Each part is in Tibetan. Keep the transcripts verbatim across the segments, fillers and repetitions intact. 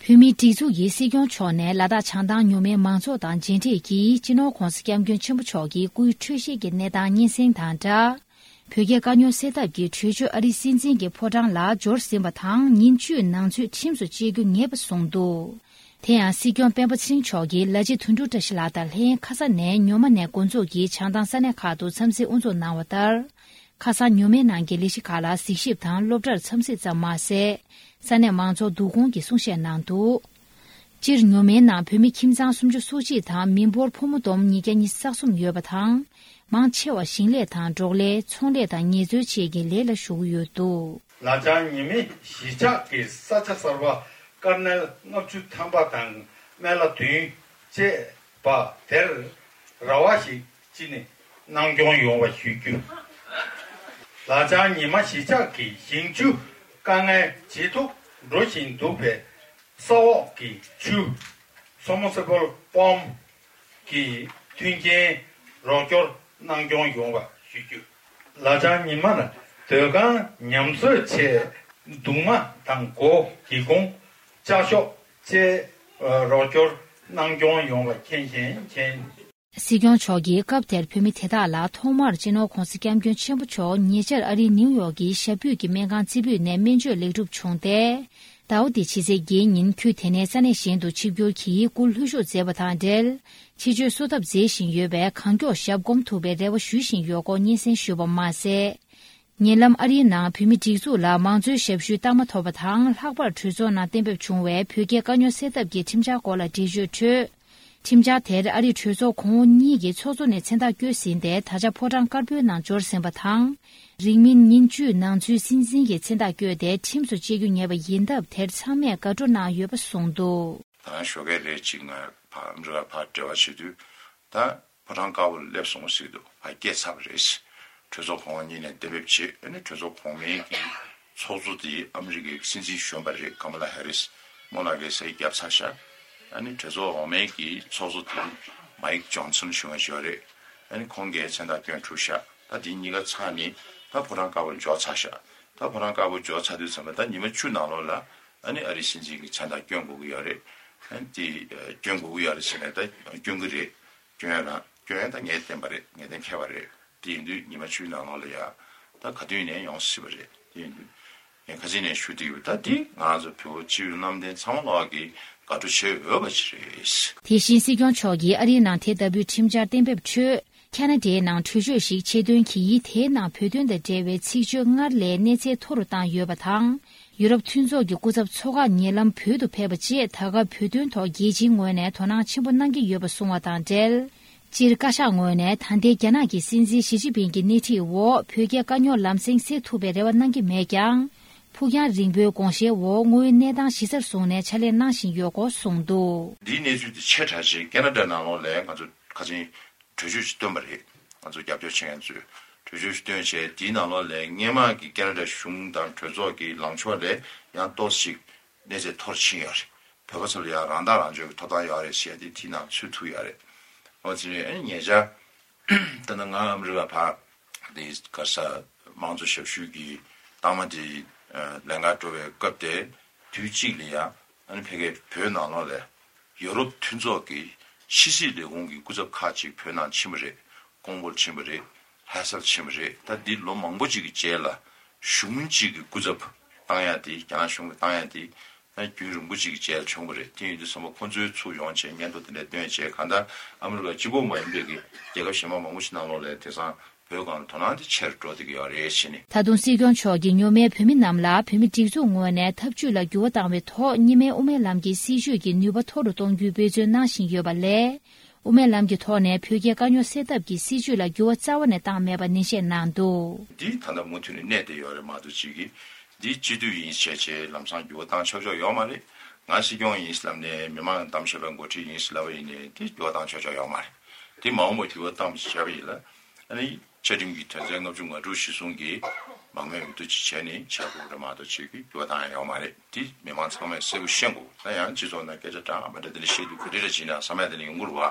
བོད་མིའི་སྒྲིག་འཛུགས་ཀྱི་སྲིད་སྐྱོང་མཆོག་ནས་ལ་དྭགས་བྱང་ཐང་མྱུར་མེད་མང་ཚོགས་དང་མཇལ་འཕྲད་ཀྱིས་སྤྱི་ནོར་༧གོང་ས་༧སྐྱབས་མགོན་ཆེན་པོ་མཆོག་གི་སྐུའི་འཕྲོད་བཞེས་ཀྱི་གནས་སྟངས་སྙན་སེང་དང་སྦྲགས། བོད་རྒྱའི་དཀའ་རྙོག་སེལ་ཐབས་ཀྱི་གྲོས་ཆོད་ཨ་རིའི་སྲིད་འཛིན་གྱི་ཕོ་བྲང་ལ་འབྱོར་ཟིན་པ་དང་ཉིན་བཅུའི་ནང་ཚུད་ཁྲིམས་སུ་བཅད་རྒྱུ་ངེས་པ་གསུངས་འདུག་དེ་ཡང་སྲིད་སྐྱོང་སྤེན་པ་ཚེ་རིང་མཆོག་གིས་ལ་རྗེ་དོན་གྲུབ་བཀྲ་ཤིས་ལགས་དང་ལྷན་ཁ་ས་ནས་ཉོ་མ་ནས་འགོ་འཛུགས་ཀྱིས་བྱང་ཐང་ས་གནས་ཁག་ཏུ་འཚམས་གཟིགས་དབུ་འཛུགས་གནང་བ་ལྟར། ཁ་སང་ཉོ་མའི་ནང་གི་ལས་གཞི་ཁག་ལ་གཟིགས་ཞིབ་དང་སློབ་གྲྭར་འཚམས་གཟིགས་ཙམ་མ་ཟད། ས་གནས་མང་ཚོགས་བསྡུ་སྐོང་གི་གསུང་བཤད་གནང་འདུག་སྤྱིར་ཉོ་མའི་ནང་བོད་མི་ཁྱིམ་ཚང་སུམ་ཅུ་སོ་གཅིག་དང་མི་འབོར་ཕོ་མོ་བསྡོམས་ཉིས་བརྒྱ་ཉི་ཤུ་རྩ་གསུམ་ཡོད་པ་དང་། མང་ཆེ་བ་ཞིང་ལས་དང་འབྲོག་ལས། ཚོང་ལས་དང་ངལ་རྩོལ་བཅས་ཀྱི་ལས་ལ་ཞུགས་ཡོད་འདུག་ལ་ལྗང་ཉི་མའི་གཞིས་ཆགས་ཀྱི་ས་ཆ་གསར་པ་དཀར་ནལ་ལྔ་བཅུ་ཐམ་པ་དང་སྨན་བླ་བདུན་བཅས་པ་དེར་ར་བ་ཞིག་ཅི་ནས་གནང་སྐྱོང་ཡོང་བ་ཞུ་རྒྱུ། ལ་ལྗང་ཉི་མ་གཞིས་ཆགས་ཀྱི་ཞིང་ཆུ་དཀའ་ངལ་ཇེ་སྡུག་འགྲོ་བཞིན་འདུག་པས། ས་འོག་གི་ཆུ། Submersible Pump གི་མཐུན་རྐྱེན་རོགས་སྐྱོར་གནང་སྐྱོང་ཡོང་བ་ཞུ་རྒྱུ། ལ་ལྗང་ཉི་མར་སྡོད་ཁང་ཉམས་གསོ་ཆེད་གདུང་མ་དང་སྒོ་སྒེའུ་ཁུང་ལྕགས་ཤོག་བཅས་རོགས་སྐྱོར་གནང་སྐྱོང་ཡོང་བ་མཁྱེན་ཞིང་མཁྱེན། སྲིད་སྐྱོང་མཆོག་གིས་སྐབས་དེར་བོད་མི་དེ་དག་ལ་ཐོག་མར་སྤྱི་ནོར་༧གོང་ས་༧སྐྱབས་མགོན་ཆེན་པོ་མཆོག་ཉེ་ཆར་ཨ་རིའི་ནིའུ་ཡོག་གི་ཞབས་པུས་ཀྱི་སྨན་ཁང་རྩེ་ཕུད་ནས་སྨན་བཅོས་ལེགས་གྲུབ་བྱུང་སྟེ། ཟླ་བ་འདིའི་ཕྱི་ཚེས་བརྒྱད་ཉིན་ཁོས་དེ་ནས་ས་གནས་གཞན་དུ་ཆིབས་བསྒྱུར་གྱིས་སྐུ་ལྷོད་ཞུགས་མཛད་པ་དང་འབྲེལ། ཆེད་བསྐྱོད་གསོ་ཐབས་མཛད་བཞིན་ཡོད་པས་གང་མགྱོགས་ཞབས་སྒོམ་ཐུབ་པའི་རེ་བ་ཞུ་བཞིན་ཡོད་སྐོར་སྙན་སེང་ཞུས་པ་མ་ཟད། ཉེ་ལམ་ཨ་རིའི་ནང་བོད་མི་སྒྲིག་འཛུགས་ལ་མང་གཙོའི་ཞབས་ཞུའི་རྟགས་མ་ཐོབ་པ་དང་། ལྷག་པར་གྲོས་ཚོགས་ནང་གཏན་འབེབས་བྱུང་བའི་བོད་རྒྱའི་དཀའ་རྙོག་སེལ་ཐབས་ཀྱི་ཁྲིམས་འཆར་སྐོར་ལ་འགྲེལ་བརྗོད་ཁྲོད། ཁྲིམས་འཆར་དེར་ཨ་རིའི་གྲོས་ཚོགས་གོང་འོག་གཉིས་ཀྱི་ཚོགས་གཙོ་ནས་མཚན་རྟགས་བཀོད་ཟིན་ཏེ། ད་ཆ་ཕོ་བྲང་དཀར་པོའི་ནང་འབྱོར་ཟིན་པ་དང་། རིང་མིན་ཉིན་བཅུའི་ནང་ཚུད་སྲིད་འཛིན་གྱི་མཚན་རྟགས་བཀོད་དེ་ཁྲིམས་སུ་བཅད་རྒྱུ་ངེས་པ་ཡིན་སྟབས། དེར་ཚང་མས་དགའ་སྤྲོ་གནང་ཡོད་པ་གསུངས་འདུག་ད་ཞོགས་ཀས་རེ་གཅིག་ང་ཕ་ཨ་མི་རི་ཀ་ཕར་འབྲེལ་བ་བྱེད་དུས་ད། ཕོ་བྲང་དཀར་པོར་སླེབས་སོང་ཟེར་གྱི་འདུག་ཕར་སྐྱེལ་ཚར་བ་རེད། གྲོས་ཚོགས་གོང་འོག་གཉིས་ནས་གཏན་འབེབས་བྱས། ཨ་ནི་གྲོས་ཚོགས་གོང་མའི་གི་ཚོགས་གཙོ་དེ་ཨ་མི་རི་ཀའི་སྲིད་འཛིན་གཞོན་པ་རེད། ཀ་མ་ལ་ཧེ་རིས། སྨོན་ལམ་གྱི་སའི་རྒྱབ་ཚར་ཤག་ཨ་ནི་གྲོས་ཚོགས་འོག་མའི་གི་ཚོགས་གཙོ་དེ་མའིག་ཇོན་སན་གཞུང་ཞིག་ཡོད་རེད། ཨ་ནི་ཁོང་གིས་མཚན་རྟགས་བསྐྱོན་གྲུབ་ཤག་ད་དེ་གཉིས་ཀ་ཚར་ནས་ད་ཕོ་བྲང་དཀར་པོར་འབྱོར་ཚར་ཤག་ད་ཕོ་བྲང་དཀར་པོར་འབྱོར་ཚར་དུས་ཙམ་པ་ད་ཉི་མ་བཅུ་ནང་ལོགས་ལ་ཨ་ནི་ཨ་རིའི་སྲིད་འཛིན་གྱི་མཚན་རྟགས་བསྐྱོན་དགོས་ཀྱི་ཡོད་རེད། ཨ་ནི་དེ་བསྐྱོན་དགོས་ཀྱི་ཡོད་རེད་ཟེར་ནས་ད་བསྐྱོན་གྱི་རེད། སྐྱོན་ཡ་ན་སྐྱོན་ཡ་ད་ངས་བསྟན་པ་རེད། ངས་གཏན་འཁེལ་བ་རེད། དེ་ཡིན་དུས་ཉི་མ་བཅུའི་ནང་ལོགས་ལ་ཡ་ད་ག་དུས་ནས་ཡོང་སྲིད་པ་རེད། དེ་ཡིན་དུས་ངས་ཁ་སང་ནས་ཞུ་བསྡད་ཡོད། ད་འདི་ང་ཚོ་བོད་སྤྱི་པའི་གནམ་བསྟན་ཚང་མ་ལོག་གི་དགའ་སྤྲོ་བྱེད་འོས་པ་ཅིག་རེད། དེ་བཞིན་སྲིད་སྐྱོང་མཆོག་གིས་ཨ་རིའི་ནང་དེ་ལྟ་བུའི་ཁྲིམས་འཆར་གཏན་འབེབས་ཁྲོད། ཁ་ན་ཌའི་ནང་གྲོས་ཆོད་ཞིག་ཆེད་འདོན་གྱིས། དེའི་ནང་བོད་དོན་དང་འབྲེལ་བའི་ཚིག་བརྗོད་སྔར་ལས་གནས་ཚད་མཐོ་རུ་བཏང་ཡོད་པ་དང་། ཡུ་རོབ་མཐུན་ཚོགས་ཀྱི་སྐུ་ཚབ་ཚོགས་ཁག་ཉེ་ལམ་བོད་དུ་ཕེབས་པ་བཅས། ད་སྐབས་བོད་དོན་ཐོག་རྒྱལ་སྤྱིའི་ངོས་ནས་དོ་སྣང་ཆེན་པོ་གནང་གི་ཡོད་པ་གསུངས་བ་དང་འབྲེལ། སྤྱིར་བཀའ་ཤག་ངོས་ནས་ད་ལྟའི་རྒྱ་ནག་གི་སྲིད་འཛིན་ཞི་ཅིན་ཕིང་གི་སྣེ་ཁྲིད་འོག་བོད་རྒྱའི་དཀའ་རྙོག་ལམ་སེང་སེལ་ཐུབ་པའི་རེ་བ་གནང་གི་མེད་ཀྱང་། ཕུགས་རྒྱང་རིང་པོའི་དགོངས་བཞེས་འོག་དངོས་ཡོད་གནས་སྟངས་གཞི་རྩར་བཟུང་ནས་ཕྱག་ལས་གནང་བཞིན་ཡོད་སྐོར་གསུངས་འདུག་འདིའི་གནས་ཚུལ་དེ་ཆེ་དྲགས་ཅིག་ཁེ་ན་ཌ་ནང་ལོགས་ལ་ང་ཚོ་ཁ་སང་གྲོས་ཆོད་ཅིག་བཏོན་པ་རེད། ང་ཚོ་རྒྱབ་སྐྱོར་བྱེད་མཁན་ཚོས་གྲོས་ཆོད་ཅིག་བཏོན་བྱས། དེའི་ནང་ལོགས་ལ་སྔོན་མ་གི་ཁེ་ན་ཌ་གཞུང་དང་གྲོས་ཚོགས་ཀྱི་ལངས་ཕྱོགས་ལས་ཡང་ཏོག་ཙམ་ཅིག་གནས་ཚད་མཐོ་རུ་ཕྱིན་ཡོད་རེད། བོད་པ་ཚོ་ལ་ཡང་རང་ཐག་རང་གཅོད་ཀྱི་ཐོབ་ཐང་ཡོད་རེད་ཟེར་ཏེ་དེའི་ནང་ཚུད་ཐུབ་ཡོད་རེད། འོ་དེ་ནས་ཨ་ནི་ཉེ་ཆར་ད་ནི་ང་ཨ་མི་རི་ཀ་ཕར་དེ་ག་ས་མང་གཙོ་ཞབས་ཞུ་གི་རྟགས་མ་དེ་ལེན་གར་འགྲོ་བའི་སྐབས་དེ། དུས་གཅིག་ལ་ཡང་ཨ་ནི་ཕ་གིའི་བོད་ནང་ལོགས་ལ་ཡུ་རོབ་མཐུན་ཚོགས་ཀྱི་ཕྱི་སྲིད་ལས་ཁུངས་ཀྱི་སྐུ་ཚབ་ཁག་ཅིག་བོད་ནང་ཕྱིན་པ་རེད། ཀོང་པོར་ཕྱིན་པ་རེད། ལྷ་སར་ཕྱིན་པ་རེད། ད་འདི་ལོ་མང་པོ་ཅིག་གི་རྗེས་ལ་གཞུང་གཅིག་གི་སྐུ་ཚབ་བཏང་ཡ་དེ། རྒྱ་ནག་གཞུང་གིས་བཏང་ཡ་དེ་ད་རྒྱུན་རིང་པོ་ཅིག་གི་རྗེས་ལ་བྱུང་བ་རེད། དེ་ཡིན་དུས་ཙམ་པ་ཁོང་ཚོའི་ཚུར་ཡོང་བྱས་སྙན་ཐོ་དེ་འདྲ་བཏོན་བྱས། གང་ལྟར་ཨ་མི་རི་ཀ་གཅིག་པོ་མ་ཡིན་པའི་གི་རྒྱལ་ཁབ་གཞན་པ་མང་པོ་ཞིག་ནང་ལོགས་ལ་དེང་སང་བོད་སྒང་ལ་དོ་སྣང་དེ་ཆེ་རུ་འགྲོ་བསྡད་ཀྱི་ཡོད་རེད་ཟེར་ནས། ད་དུང་སྲིད་སྐྱོང་མཆོག་གིས་མྱོང་མེད་བོད་མི་རྣམས་ལ་བོད་མི་སྒྲིག་འཛུགས་ངོས་ནས་ཐབས་ཇུས་ལ་འགྱུར་བ་བཏང་བའི་ཐོག་གཉིས་སྨན་དབུ་མའི་ལམ་གྱི་སྲིད་བྱུས་ཀྱི་ནུས་པ་མཐོ་རུ་གཏོང་རྒྱུའི་འབད་བརྩོན་གནང་བཞིན་ཡོད་པ་ལས། དབུ་མའི་ལམ་གྱི་ཐོག་ནས་བོད་རྒྱའི་དཀའ་རྙོག་སེལ་ཐབས་ཀྱི་སྲིད་བྱུས་ལ་འགྱུར་བ་རྩ་བ་ནས་བཏང་མེད་པ་ནན་བཤད་གནང་འདུག་འདི་ད་ལྟ་མུ་མཐུད་ནས་གནས་བསྡད་ཡོད་རེད་མ་གཏོགས། གཅིག་གིས་འདི་སྤྱི་འཐུས་ཡིན་བྱས་བྱས་ལམ་སང་འགྱུར་བ་བཏང་ཆོག་ཆོག་ཡོད་མ་རེད། ང་སྲིད་སྐྱོང་ཡིན་ལབ་ནས་མི་མང་གདམ་བྱས་པའི་འགོ་ཁྲིད་ཡིན་ལབ་པ་ཡིན་ནའི་དེ་འགྱུར་བ་བཏང་ཆོག་ཆོག་ཡོད་མ་རེད། དེ་མ་འོངས་པ་འགྱུར་བ་བཏང་བྱས་པ་ཡིན་ལ། ཨ་ནི་བཅའ་ཁྲིམས་ཀྱི་དོན་ཚན་ལྔ་བཅུ་ང་དྲུག་གཞིར་བཟུང་གིས་མང་མོས་འོས་བསྡུ་ཅིག་བྱས་ནས་བྱ་དགོས་རེད་མ་གཏོགས། ཅིག་གི་འགྱུར་བ་བཏང་ཡ་ཡོད་མ་རེད། དེ་མི་མང་ཚང་མས་གསལ་པོ་ཤེས་དགོས། ད་ཡང་སྤྱི་ཚོགས་ནང་སྐད་ཆ་འདྲ་མི་འདྲ་དེ་འདྲ་བཤད་དུས་ག་འདྲ་འདྲ་བྱས་ན་བསམ་ཡ་དེ་འདྲ་ཡོང་གི་རེད་བ།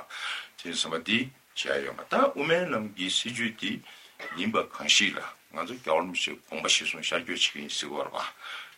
དེ་ཡིན་ཙང་དེ་བྱས་ཡ་ཡོད་མ་རེད། ད་དབུ་མའི་ལམ་གྱི་སྲིད་བྱུས་དེ་ཡིན་པ་གང་ཞིག་ལ་ང་ཚོ་རྒྱལ་བ་རིན་པོ་ཆེའི་དགོངས་པ་གཞིར་བཟུང་ཤར་བསྐྱོད་བྱེད་ཀྱི་ཡིན་ཟེར་གྱི་ཡོད་རེད་བ།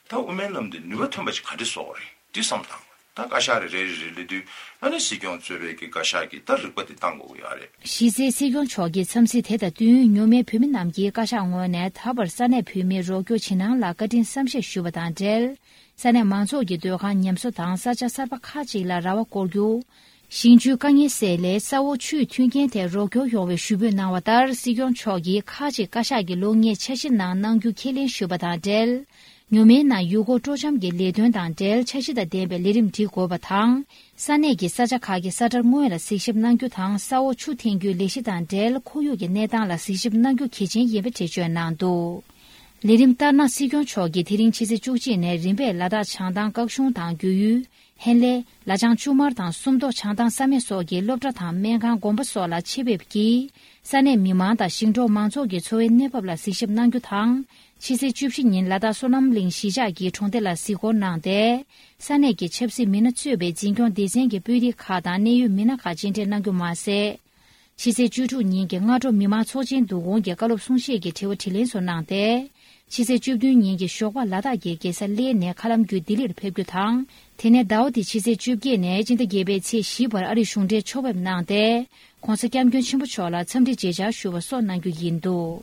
ད་དབུ་མའི་ལམ་དེ་ནུས་པ་ཐོན་པ་ཅིག་ག་འདྲ་བཟོ་དགོས་རེད། འདི་བསམ་བློ་བཏང་དགོས། ད་བཀའ་ཤག་རེ་རེ་རེ་རེ་སླེབས་དུས་ཨ་ནི་སྲིད་སྐྱོང་གཙོས་པའི་གི་བཀའ་ཤག་གིས་ད་རིག་པ་དེ་བཏང་དགོས་ཀྱི་ཡོད་རེད། གཞི་རྩའི་སྲིད་སྐྱོང་མཆོག་གིས་འཚམས་གཟིགས་དེ་དང་བསྟུན། མྱོང་མེད་བོད་མི་རྣམས་ཀྱིས་བཀའ་ཤག་ངོས་ནས་ད་བར་ས་གནས་བོད་མིར་རོགས་སྐྱོར་བྱེད་གནང་ལ་བཀའ་དྲིན་བསམ་ཤེས་ཞུས་པ་དང་འབྲེལ། ས་གནས་མང་ཚོགས་ཀྱི་སྡོད་ཁང་ཉམས་གསོ་དང་ས་ཆ་གསར་པ་ཁག་ཅིག་ལ་ར་བ་བསྐོར་རྒྱུ། ཞིང་ཆུའི་དཀའ་ངལ་སེལ་སླད་ས་འོག་ཆུའི་མཐུན་རྐྱེན་ཐད་རོགས་སྐྱོར་ཡོང་བའི་ཞུ་འབོད་གནང་བ་ལྟར། སྲིད་སྐྱོང་མཆོག་གིས་ཁག་ཅིག་བཀའ་ཤག་གི་ལོ་ལྔའི་འཆར་གཞིའི་ནང་གནང་རྒྱུ་ཁས་ལེན་ཞུས་པ་དང་འབྲེལ། ཉོ་མའི་ནང་ཡུལ་སྐོར་སྤྲོ་འཆམ་གྱི་ལས་དོན་དང་འབྲེལ་འཆར་གཞི་དང་ལྡན་པའི་ལས་རིམ་སྒྲིག་དགོས་པ་དང་། ས་གནས་ཀྱི་ས་ཆ་ཁག་གི་ས་ཁྲལ་དངོས་ལ་གཟིགས་ཞིབ་གནང་རྒྱུ་དང་། ས་འོག་ཆུ་འཐེན་རྒྱུའི་ལས་གཞི་དང་འབྲེལ་ཁོར་ཡུག་གི་གནས་སྟངས་ལ་གཟིགས་ཞིབ་གནང་རྒྱུ་གལ་ཆེན་ཡིན་པ་འགྲེལ་བརྗོད་གནང་འདུག་ལས་རིམ་ལྟར་ན། སྲིད་སྐྱོང་མཆོག་གིས་དེ་རིང་ཕྱི་ཚེས་བཅུ་གཅིག་ནས་རིམ་པས་ལ་དྭགས་བྱང་ཐང་སྐྱིད་གཤོངས་དང་རྒྱུ་ཡུལ། ཧན་ལེ། ལ་བྱང་ཆུ་དམར་དང་སུམ་མདོ། བྱང་ཐང་ས་སྨད་སོགས་ཀྱི་སློབ་གྲྭ་དང་སྨན་ཁང་། དགོན་པ་སོགས་ལ་ཆེད་ཕེབས་ཀྱིས། ས་གནས་མི་མང་དང་ཞིང་འབྲོག་མང་ཚོགས་ཀྱི་འཚོ་བའི་གནས་བབ་ལ་གཟིགས་ཞིབ་གནང་རྒྱུ་དང་། ཕྱི་ཚེས་བཅུ་བཞི་ཉིན་ལ་དྭགས་བསོད་ནམས་གླིང་གཞིས་ཆགས་ཀྱི་གྲོང་སྡེ་ལ་གཟིགས་སྐོར་གནང་སྟེ། ས་གནས་ཀྱི་ཆབ་སྲིད་མི་སྣ་གཙོས་པའི་འཛིན་སྐྱོང་སྡེ་ཚན་གྱི་དཔོན་རིགས་ཁག་དང་གནད་ཡོད་མི་སྣ་ཁག་མཇལ་འཕྲད་གནང་རྒྱུ་མ་ཟད། ཕྱི་ཚེས་བཅུ་དྲུག་ཉིན་གྱི་སྔ་དྲོ་མི་མང་ཚོགས་ཆེན་བསྡུ་སྐོང་གི་བཀའ་སློབ་གསུང་བཤད་ཀྱི་དྲི་བ་དྲིས་ལན་སོགས་གནང་སྟེ། ཕྱི་ཚེས་བཅུ་བདུན་ཉིན་གྱི་ཞོགས་པ་ལ་དྭགས་ཀྱི་རྒྱལ་ས་གླེ་ནས་མཁའ་ལམ་བརྒྱུད་ལྡི་ལིར་ཕེབས་རྒྱུ་དང་། དེ་ནས་ཟླ་བ་འདིའི་ཕྱི་ཚེས་བཅོ་བརྒྱད་ནས་སྤྱི་ཟླ་བརྒྱད་པའི་ཚེས་བཞི་བར་ཨ་རིར་གཞུང་འབྲེལ་ཕྱོགས་ཕེབས་གནང་སྟེ། ྋགོང་ས་ྋསྐྱབས་མགོན་ཆེན་པོ་མཆོག་ལ་འཚམས་འདྲི་མཇལ་བཅར་ཞུ་བ་སོགས་གནང་རྒྱུ་ཡིན་འདུག